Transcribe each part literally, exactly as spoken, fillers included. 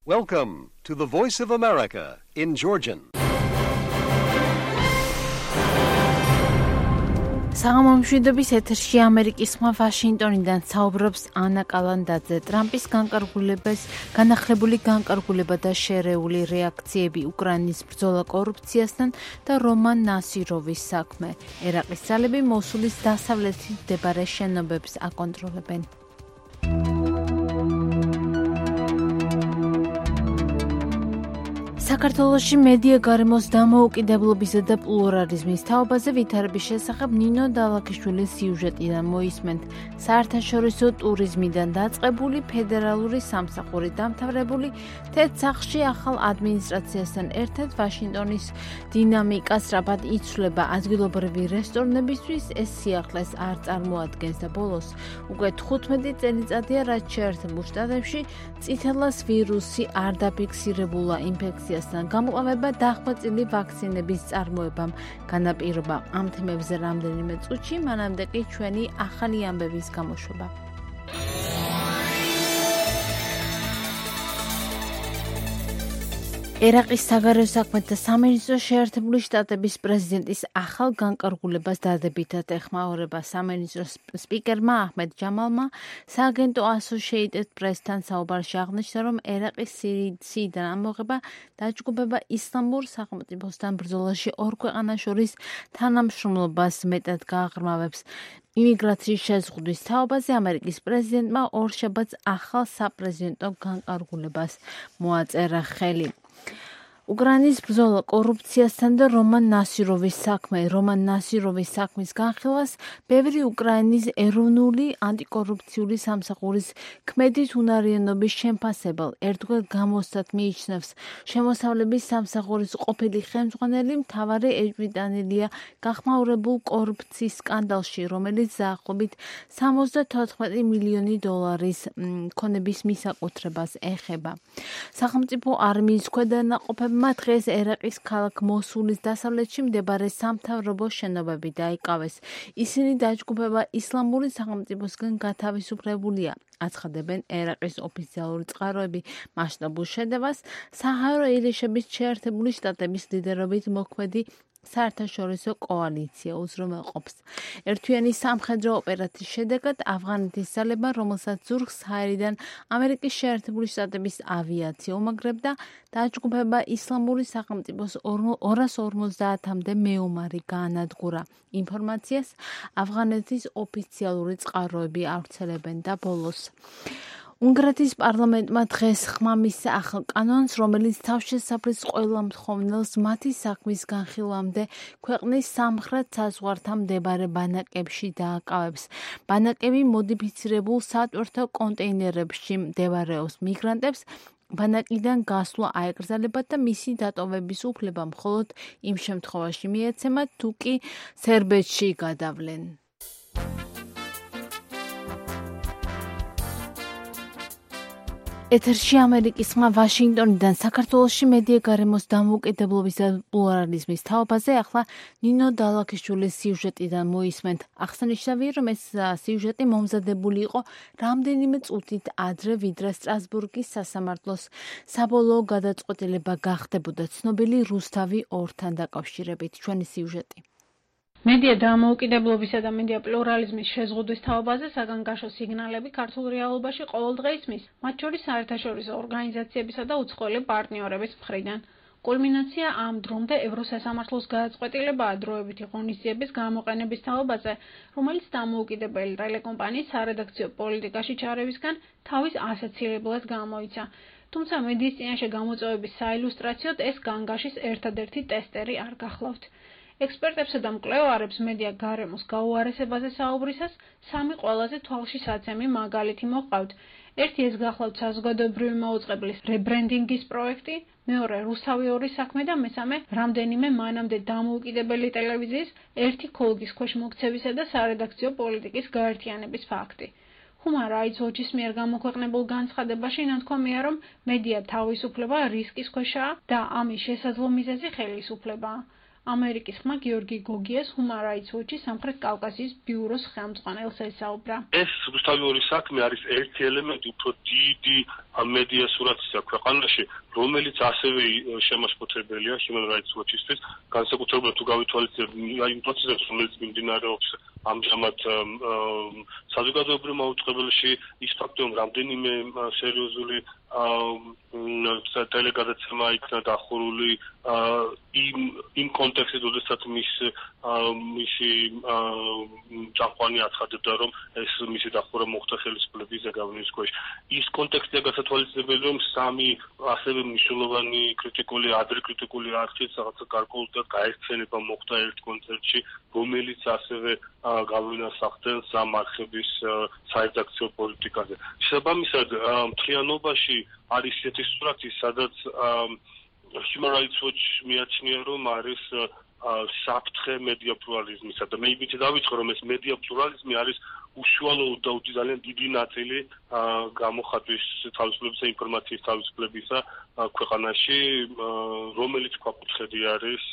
Welcome to the Voice of America in Georgian. საღამომშვიდობის ეთერში ამერიკის ხმა ვაშინგტონიდან საუბრობს ანა კალანდაძე. ტრამპის განკარგულებას, განახლებული განკარგულება და შერეული რეაქციები უკრაინის ბრძოლა კორუფციასთან და რომან ნასიროვის საქმე. ერაყის ძალები მოსულის დასავლეთით მდებარე შენობებს აკონტროლებენ. საქართველოში მედია გარემოს დამოუკიდებლობისა და პლურალიზმის თაობაზე ვითარების შესახებ ნინო დალაქიშვილის სიუჟეტიდან მოისმენთ. საერთაშორისო ტურიზმიდან დაწყებული ფედერალური სამსახური დამთავრებული თეთრ სახლში ახალ ადმინისტრაციასთან ერთად ვაშინგტონის დინამიკა სწრაფად იცვლება. ადგილობრივი რესტორნებისთვის ეს სიახლეს არ წარმოადგენს და ბოლოს უკვე თხუთმეტი წელიწადია, რაც შეერთებულ შტატებში წითელას ვირუსი არ დაფიქსირებულა ინფექცია გამყავება დახვეწილი ვაქცინების წარმოებამ განაპირობა. ამ თემებზე რამდენიმე წუთში, მანამდე კი ჩვენი ახალი ამბების გამოშვება. ერაყის საგარეო საქმეთა სამინისტრო შეერთებული შტატების პრეზიდენტის ახალ განკარგულებას დადებითად ეხმაურება. სამინისტროს სპიკერმა აჰმედ ჯამალმა სააგენტო Associated Press-თან საუბარში აღნიშნა, რომ ერაყის სირიიდან ამოღება დაჯგუფება ისლამურ სახელმწიფოსთან ბრძოლაში ორ ქვეყანას შორის თანამშრომლობას მეტად გააღრმავებს. იმიგრაციის შეზღუდვის თაობაზე ამერიკის პრეზიდენტმა ორშაბათს ახალ საპრეზიდენტო განკარგულებას მოაწერა ხელი. უკრაინის ბრძოლა კორუფციასთან და რომან ნასიროვის საქმე. რომან ნასიროვის საქმის განხილვას ბევრი უკრაინის ეროვნული ანტიკორუფციული სამსახურის ქმედით უნარიანობის შემფასებელ ერთგვარ გამოსცად მიიჩნევს. შემოსავლების სამსახურის ყოფილი ხელმძღვანელი მთავარი ეჭვმიტანილია გახმაურებულ კორუფციის სკანდალში, რომელიც დაახლოებით სამოცდათოთხმეტი მილიონი დოლარის ქონების მისაკუთრებას ეხება. სახელმწიფო არმიის ქვედანაყოფებმა დღეს ერაყის ქალაქ მოსულის დასავლეთში მდებარე სამთავრობო შენობები დაიკავეს. ისინი დაჯგუფება ისლამური სახელმწიფოსგან გათავისუფლებულია. აცხადებენ ერაყის ოფიციალური წყაროები მასშტაბურ შეტევას საჰაერო ირიშების შეერთებული შტატების ლიდერობით მოქმედი საერთაშორისო კოალიცია უზრუნველყოფს. ერთთვიანი სამხედრო ოპერაციის შედეგად ავღანეთის ძალებმა, რომელსაც ზურგს საჰაერიდან ამერიკის შეერთებული შტატების ავიაცია უმაგრებდა, დაჯგუფება ისლამური სახელმწიფოს ორას ორმოცდაათამდე მეომარი გაანადგურა. ინფორმაციას ავღანეთის ოფიციალური წყაროები ავრცელებენ და ბოლოს. უნგრეთის პარლამენტმა დღეს ხმა მისცა ახალ კანონს, რომელიც თავშესაფრის ყველა მთხოვნელს მათი საქმის განხილვამდე ქვეყნის სამხრეთ საზღვართან მდებარე ბანაკებში დააკავებს. ბანაკები მოდიფიცირებულ სატვირთო კონტეინერებში მდებარეობს. მიგრანტებს ბანაკიდან გასვლა აეკრძალებათ და მისი დატოვების უფლება მხოლოდ იმ შემთხვევაში მიეცემათ, თუ კი სერბეთში გადავლენ. ეთერში ამერიკის ხმა ვაშინგტონიდან. საქართველოში მედია გარემოს დამოუკიდებლობის და პლურალიზმის თაობაზე ახლა ნინო დალაქიშვილის სიუჟეტიდან მოისმენთ. აღსანიშნავია, რომ ეს სიუჟეტი მომზადებული იყო რამდენიმე წუთით ადრე, ვიდრე სტრასბურგის სასამართლოს საბოლოო გადაწყვეტილება გახდებოდა ცნობილი რუსთავი ორთან დაკავშირებით. ჩვენი სიუჟეტი. მედია დამოუკიდებლობისა და მედია პლურალიზმის შეზღუდვის თაობაზე საგანგაშო სიგნალები ქართულ რეალობაში ყოველდღე ისმის, მათ შორის საერთაშორისო ორგანიზაციებისა და უცხოელი პარტნიორების მხრიდან. კულმინაცია ამ დრომდე ევროსასამართლოს გადაწყვეტილებაა დროებითი ღონისძიების გამოყენების თაობაზე, რომელიც დამოუკიდებელი ტელეკომპანიის სარედაქციო პოლიტიკაში ჩარევისგან თავის ასაცილებლად გამოიცა. თუმცა მედიის წინაშე გამოწვევების საილუსტრაციოდ ეს განგაშის ერთადერთი ტესტერი არ გახლავთ. ექსპერტებსა და მკვლევარებს მედია გარემოს გაუარესებაზე საუბრისას სამი ყველაზე თვალშისაცემი მაგალითი მოჰყავთ. ერთი ეს გახლავთ საზოგადოებრივი მაუწყებლის რებრენდინგის პროექტი, მეორე რუსთავი ორის საქმე და მესამე რამდენიმე მანამდე დამოუკიდებელი ტელევიზიის ერთი ქოლგის ქვეშ მოქცევისა და სარედაქციო პოლიტიკის გაერთიანების ფაქტი. Human Rights Watch-ის მიერ გამოქვეყნებულ განცხადებაში ნათქვამია, რომ მედია თავისუფლება რისკის ქვეშაა და ამის შესაძლო მიზეზი ხელისუფლებაა. ამერიკის ხმა გიორგი გოგიას Human Rights Watch-ის სამხრეთ კავკასიის ბიუროს ხელმძღვანელს ესაუბრა. ეს ზუსტად ორი საქმე არის ერთი ელემენტი უფრო დიდი მედია სურათისა ქვეყანაში, რომელიც ასევე შემაშფოთებელია Human Rights Watch-ისთვის, განსაკუთრებით თუ გავითვალისწინებთ იმ პროცესებს, რომელიც მიმდინარეობს ამჟამად საზოგადოებრივ მაუწყებელში, ის ფაქტი, რომ რამდენიმე სერიოზული ტელეგადაცემა იქნა დახურული იმ იმ კონტექსტში, როდესაც მის მისი წამყვანი აცხადებდა, რომ ეს მისი დახურვა მოხდა ხელისუფლების ზეგავლენის ქვეშ. ის კონტექსტია გასათვალისწინებელი, რომ სამი ასევე მნიშვნელოვანი კრიტიკული, ადრე კრიტიკული არქით რაღაცა გარკვეულად გაერთიანება მოხდა ერთ კონცერტში, რომელიც ასევე გავლენას ახდენს ამ არხების საერთაქციო პოლიტიკაზე. შესაბამისად, მთლიანობაში არის ესეთი სურათი, სადაც Human Rights Watch მიაჩნია, რომ არის საფრთხე მედია პლურალიზმისა და მე იმით დავიწყო, რომ ეს მედია პლურალიზმი არის უშუალო და ძალიან დიდი ნაწილი გამოხატვის თავისუფლებისა, ინფორმაციის თავისუფლებისა ქვეყანაში, რომელიც ქვაკუთხედი არის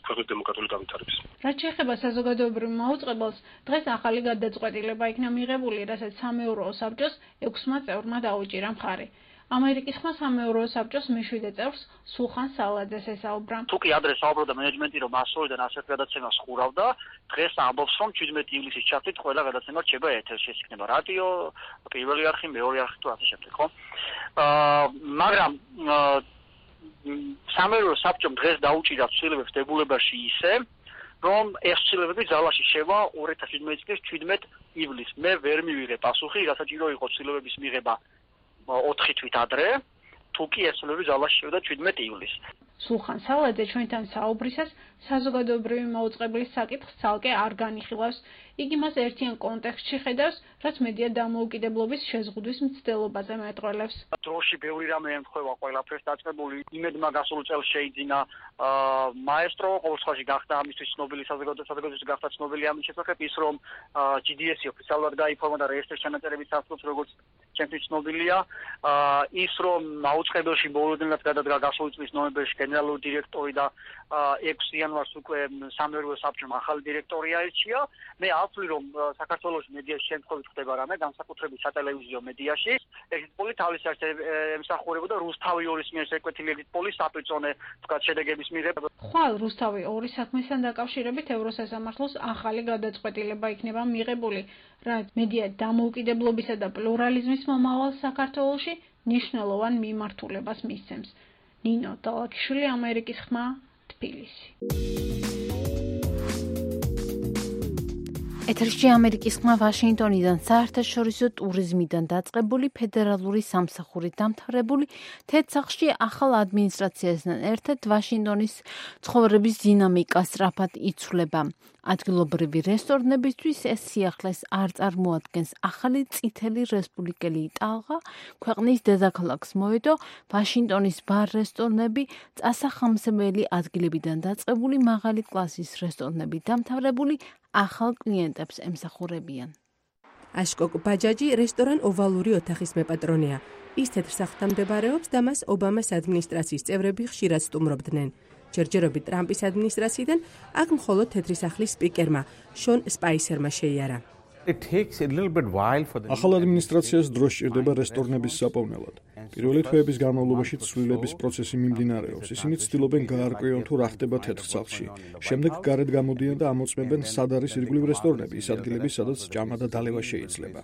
ქვეყნის დემოკრატიული განვითარების. რაც შეეხება საზოგადოებრივ მაუწყებელს, დღეს ახალი გადაწყვეტილება იქნა მიღებული, რასაც სამეურვეო საბჭოს ექვსმა წევრმა დაუჭირა მხარი. ამერიკის ხმა სამეურვეო საბჭოს მეშვიდე წევრს სულხან სალაძეს ესაუბრა. თუკი ადრე საუბრობდა მენეჯმენტი, რომ ასოიდან ასეთ გადაცემას ხურავდა, დღეს ამბობს, რომ შვიდმეტი ივლისის ჩათვლით ყველა გადაცემა რჩება ეთერში, ეს იქნება რადიო, პირველი არხი, მეორე არხი თუ ასე შემდეგ, ხო? აა მაგრამ სამეურვეო საბჭომ დღეს დაუჭირა ცვლილებებს დებულებაში ისე, რომ ეს ცვლილებები ძალაში შევა ორი ათას შვიდმეტი წლის შვიდმეტი ივლისს. მე ვერ მივიღე პასუხი, რასაჭირო იყო ცვლილებების მიღება ოთხი თვით ადრე, თუკი ეს ცვლილებები ძალაში შევიდა შვიდმეტი ივლისს. სულხან სალაძე ჩვენთან საუბრისას საზოგადოებრივი მაუწყებლის საკითხს ცალკე არ განიხილავს. იგი მას ერთიან კონტექსტში ხედავს, რაც მედია დამოუკიდებლობის შეზღუდვის მცდელობაზე მეტყველებს. დროში ბევრი რამე ემთხვევა ყველაფერს დაწყებული, იმედმა გასულ წელს შეიძინა მაესტრო, ყოველ შემთხვევაში გახდა ამისთვის ცნობილი საზოგადოებისთვის გახდა ცნობილი ამის შესახებ ის, რომ ჯი დი ესი ოფიციალურად გაიფორმა და რეესტრის ჩანაწერების სასწრაფოს როგორც ჩემთვის ცნობილია, ის რომ მაუწყებელში მოულოდნელად გადადგა გასული წლის ნოემბერში გენერალური დირექტორი და ექვსი იანვარს უკვე სამეურვეო საბჭომ ახალი დირექტორი აირჩია. მე ავთვლი, რომ საქართველოს მედიაში შემთხვევით ხდება რამე, განსაკუთრებით სატელევიზიო მედიაში. ეგეთ პოლი თავის არც ემსახურებოდა რუსთავი ორის მიერ შეკვეთილი ეგეთ პოლი საპრიწონე თქვა შედეგების მიღება. ხვალ რუსთავი ორი საქმესთან დაკავშირებით ევროსასამართლოს ახალი გადაწყვეტილება იქნება მიღებული, რაც მედია დამოუკიდებლობისა და პლურალიზმის მომავალ საქართველოში მნიშვნელოვან მიმართულებას მისცემს. ნინო დალაკიშვილი, ამერიკის ხმა, თბილისი. ეთერში ამერიკის ხმა ვაშინგტონიდან საერთაშორისო ტურიზმიდან დაწყებული ფედერალური სამსახურით დამთავრებული თეთ სახლში ახალ ადმინისტრაციასთან ერთად ვაშინგტონის ცხოვრების დინამიკა სწრაფად იცვლება. ადგილობრივი რესტორნებისთვის ეს სიახლეს არ წარმოადგენს. ახალი წითელი რესპუბლიკელი ტალღა ქვეყნის დედაქალაქს მოედო, ვაშინგტონის ბარ-რესტორნები, წასახამსებელი ადგილებიდან დაწყებული მაღალი კლასის რესტორნები დამთავრებული ახალ კლიენტებს ემსახურებიან. აშკოკ ბაჯაჯი რესტორან ოვალური ოთახის მეპატრონეა. ის თეთრ სახლთან მდებარეობს და მას ობამას ადმინისტრაციის წევრები ხშირად სტუმრობდნენ. ჯერჯერობით ტრამპის ადმინისტრაციიდან აქ მხოლოდ თეთრი სახლის სპიკერმა შონ სპაისერმა შეიარა. ახალ ადმინისტრაციას დრო სჭირდება რესტორნების საპოვნელად. პირველი თვეების განმავლობაში ცვლილების პროცესი მიმდინარეობს. ისინი ცდილობენ გაარკვიონ თუ რა ხდება თეთრ სახლში. შემდეგ გარეთ გამოდიან და ამოწმებენ სად არის ირგვლივ რესტორნები, ის ადგილები, სადაც ჭამა და დალევა შეიძლება.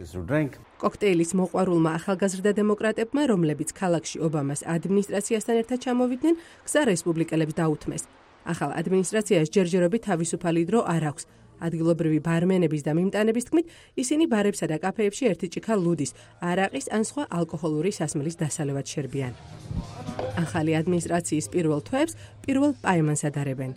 კოქტეილის მოყვარულმა ახალგაზრდა დემოკრატებმა, რომლებიც ქალაქში ობამას ადმინისტრაციასთან ერთად ჩამოვიდნენ, გზა რესპუბლიკელებს დაუთმეს. ახალ ადმინისტრაციას ჯერჯერობით თავისუფალი დრო არ აქვს. ადგილობრივი ბარმენების და მიმტანების თქმით, ისინი ბარებსა და კაფეებში ერთი ჭიქა ლუდის, არაყის ან სხვა ალკოჰოლური სასმელის დასალევად შერბიან. ახალი ადმინისტრაციის პირველ თვეებს პირველ პაემანს ადარებენ.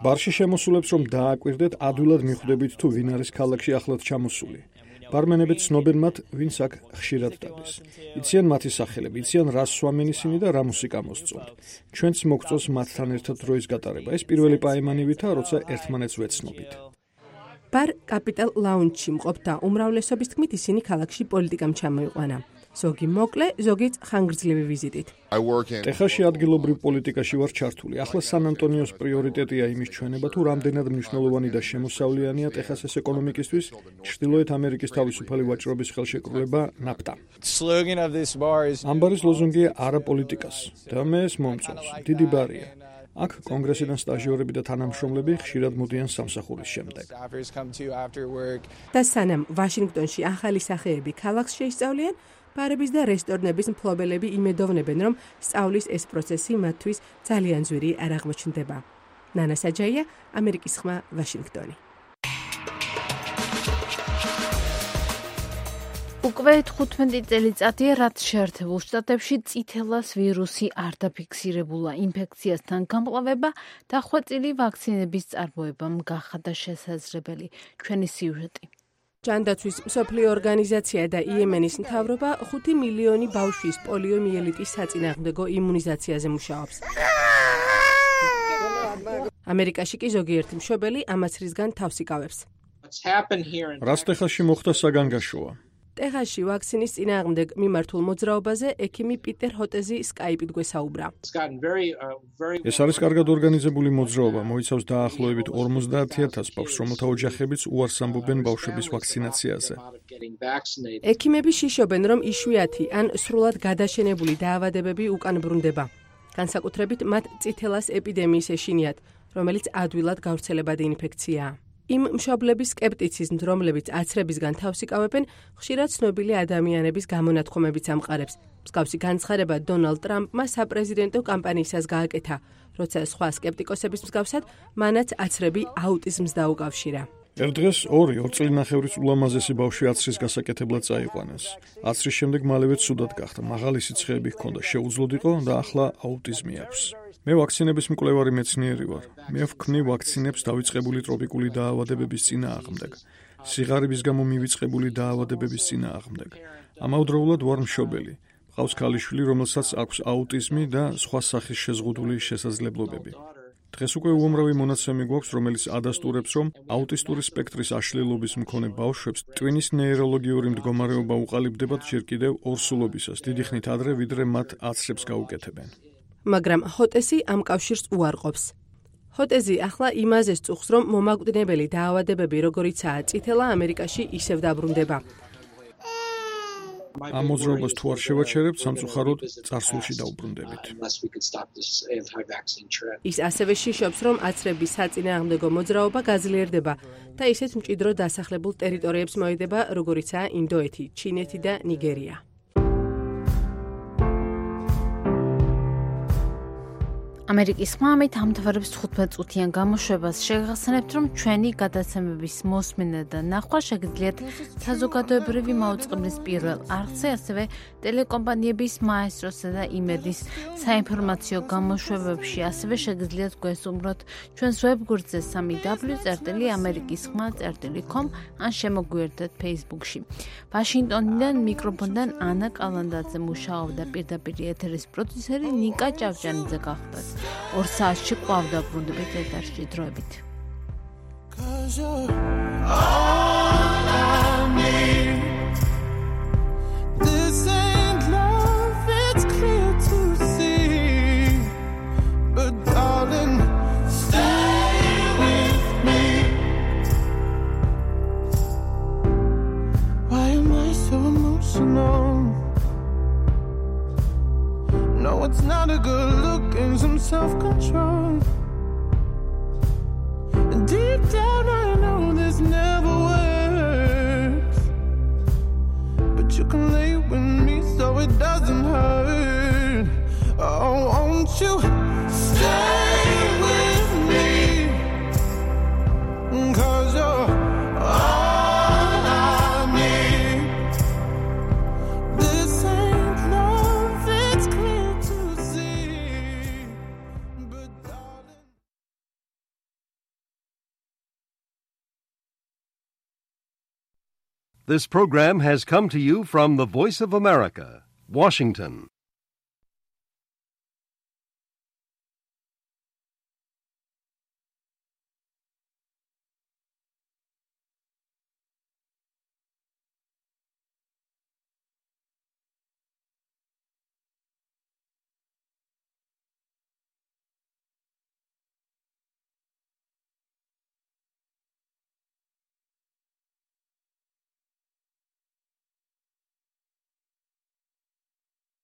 ბარში შემოსულებს რომ დააკვირდეთ, ადვილად მიხვდებით თუ ვინ არის ქალაქში ახლად ჩამოსული. ბარმენები ცნობენ მათ, ვინც აქ ხშირად დადის. იციან მათი სახელები, იციან რა სვამენ ისინი და რა მუსიკა მოსწონთ. ჩვენც მოგწონს მათთან ერთად დროის გატარება. ეს პირველი პაემანივითა, როცა ერთმანეთს ვეცნობით. ბარ კაპიტალ ლაუნჯში მყოფთა უმრავლესობის თქმით, ისინი ქალაქში პოლიტიკამ ჩამოიყვანა. ზოგი მოკლე, ზოგიც ხანგრძლივი ვიზიტით. ტეხასში ადგილობრივ პოლიტიკაში ვარ ჩართული. ახლა სან-ანტონიოს პრიორიტეტია იმის ჩვენება, თუ რამდენად მნიშვნელოვანი და შემოსავლიანია ტეხასის ეკონომიკისთვის ჩრდილოეთ ამერიკის თავისუფალი ვაჭრობის ხელშეკრულება ნაფტა. ამ ბარის ლოზუნგია არა პოლიტიკას და მე ეს მომწონს. დიდი ბარია. აქ კონგრესიდან სტაჟიორები და თანამშრომლები ხშირად მოდიან სამსახურის შემდეგ. და სანამ ვაშინგტონში ახალი სახეები ქალაქს შეისწავლიან, ბარების და რესტორნების მფლობელები იმედოვნებენ, რომ სწავლის ეს პროცესი მათთვის ძალიან ძვირი არ აღმოჩნდება. ნანა საჯაია, ამერიკის ხმა, ვაშინგტონი. უკვე თხუთმეტი წელიწადია, რაც შეერთებულ შტატებში წითელას ვირუსი არ დაფიქსირებულა. ინფექციასთან გამკლავება და ხვეწილი ვაქცინების წარმოებამ გახადა შესაძლებელი. ჩვენი სიუჟეტი. ჯანდაცვის მსოფლიო ორგანიზაცია და იემენის მთავრობა ხუთი მილიონი ბავშვის პოლიომიელიტის საწინააღმდეგო იმუნიზაციაზე მუშაობს. ამერიკაში კი ზოგიერთი მშობელი ამაცრისგან თავს იკავებს. რას ტეხასში მოხდა საგანგაშოა? ტეხასში ვაქცინის წინააღმდეგ მიმართულ მოძრაობაზე ექიმი პიტერ ჰოტეზი სკაიპით გვესაუბრა. ეს არის კარგად ორგანიზებული მოძრაობა, მოიცავს დაახლოებით ორმოცდაათი ათას ბავშვს, რომელთა ოჯახებიც უარს ამბობენ ბავშვების ვაქცინაციაზე. ექიმები შიშობენ, რომ იშვიათი ან სრულად გადაშენებული დაავადებები უკან ბრუნდება. განსაკუთრებით მათ წითელას ეპიდემიის ეშინიათ, რომელიც ადვილად გავრცელებადი ინფექციაა. იმ მშობლების სკეპტიციზმს, რომლებიც აცრებისგან თავს იკავებენ, ხშირად ცნობილი ადამიანების გამონათქვამებიც ამყარებს. მსგავსი განცხადება დონალდ ტრამპმა საპრეზიდენტო კამპანიისას გააკეთა, როცა სხვა სკეპტიკოსების მსგავსად მანაც აცრები აუტიზმს დაუკავშირა. ერთ დღეს ორი ორ წელნახევრის ულამაზესი ბავშვი აცრის გასაკეთებლად წაიყვანეს. აცრის შემდეგ მალევე ცუდად გახდა, მაღალი სიცხეები ჰქონდა, შეუძლოდ იყო და ახლა აუტიზმი აქვს. მე ვაქცინების მკვლევარი მეცნიერი ვარ. მე ვქმნი ვაქცინებს დავიწყებული ტროპიკული დაავადებების წინააღმდეგ, სიღარიბის გამო მივიწყებული დაავადებების წინააღმდეგ. ამავდროულად ვარ მშობელი. მყავს ქალიშვილი, რომელსაც აქვს აუტიზმი და სხვა სახის შეზღუდული შესაძლებლობები. დღეს უკვე უამრავი მონაცემი გვაქვს, რომელიც ადასტურებს, რომ აუტისტური სპექტრის აშლილობის მქონე ბავშვებს ტვინის ნეიროლოგიური მდგომარეობა უყალიბდებათ ჯერ კიდევ ორსულობისას, დიდი ხნით ადრე, ვიდრე მათ აცრებს გაუკეთებენ. მაგრამ ჰოტესი ამ კავშირს უარყოფს. ჰოტეზი ახლა იმაზე სწუხს, რომ მომაკვდინებელი დაავადებები, როგორიცაა წითელა, ამერიკაში ისევ დაბრუნდება. ამ მოძრაობას თუ არ შევაჩერებთ, სამწუხაროდ წარსულში დაუბრუნდებით. ის ასევე შიშობს, რომ აცრების საწინააღმდეგო მოძრაობა გაძლიერდება და ისეთ მჭიდრო დასახლებულ ტერიტორიებს მოედება, როგორიცაა ინდოეთი, ჩინეთი და ნიგერია. ამერიკის ხმა ამით ამთავრებს თხუთმეტ წუთიან გამოშვებას. შეგახსენებთ, რომ ჩვენი გადაცემების მოსმენა და ნახვა შეგიძლიათ საზოგადოებრივი მაუწყებლის პირველ არხზე, ასევე ტელეკომპანიების მაესტროსა და იმედის საინფორმაციო გამოშვებებში. ასევე შეგიძლიათ გვესუმროთ ჩვენს ვებგვერდზე სამი დაბლიუ წერტილი ამერიკის ხმა წერტილი com ან შემოგვიერთდეთ Facebook-ში. ვაშინგტონიდან მიკროფონიდან ანა კალანდაძე მუშაობდა, პირდაპირ ეთერის პროდიუსერი ნიკა ჭავჭანიძე გახდათ. ორ საათში ყვავდა ბრუნდებით ეთერში დროებით. No, it's not a good look and some self-control. And deep down I know this never works, but you can lay with me so it doesn't hurt. Oh, won't you stay with me? 'Cause you're all I need. This ain't love, it's clear to see. But darling, This program has come to you from the Voice of America, Washington.